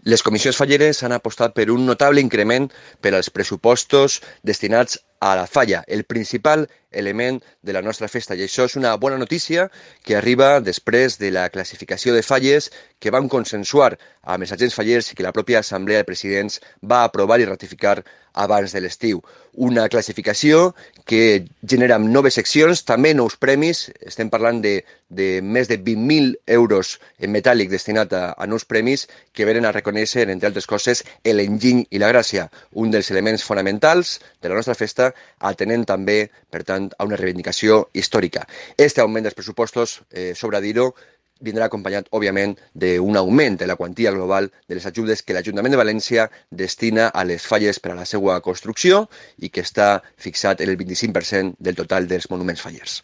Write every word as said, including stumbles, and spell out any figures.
Les comissions falleres han apostat per un notable increment per als pressupostos destinats a la falla, el principal element de la nostra festa. I això és una bona notícia que arriba després de la classificació de falles que vam consensuar amb els agents fallers i que la pròpia Assemblea de Presidents va aprovar i ratificar abans de l'estiu. Una classificació que genera noves seccions, també nous premis. Estem parlant de, de més de vint mil euros en metàl·lic destinat a, a nous premis que venen a reconèixer, entre altres coses, l'enginy i la gràcia, un dels elements fonamentals de la nostra festa, atenent també, per tant, a una reivindicació històrica. Este augment dels pressupostos, eh, sobre dir-ho, vindrà acompanyat, òbviament, d'un augment de la quantia global de les ajudes que l'Ajuntament de València destina a les falles per a la seva construcció i que està fixat en el vint-i-cinc per cent del total dels monuments fallers.